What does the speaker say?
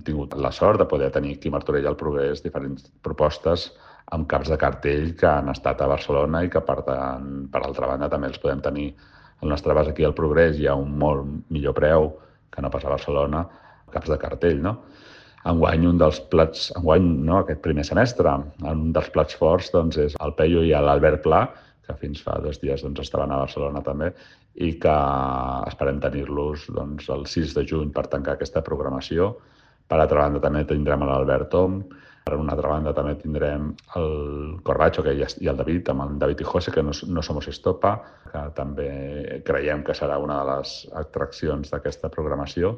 tingut la sort de poder tenir aquí a Martorell al Progrés diferents propostes amb caps de cartell que han estat a Barcelona i que, per altra banda, també els podem tenir al nostre abast aquí al Progrés i a un molt millor preu que no pas a Barcelona, caps de cartell, no? Enguany, aquest primer semestre, un dels plats forts doncs, és el Peyu i l'Albert Pla, que fins fa 2 dies doncs, estaven a Barcelona també, i que esperem tenir-los doncs, el 6 de juny per tancar aquesta programació. Per altra banda, també tindrem l'Albert Tom. Per una altra banda, també tindrem el Corbacho i el David, amb el David i José, que no Somos Estopa, que també creiem que serà una de les atraccions d'aquesta programació.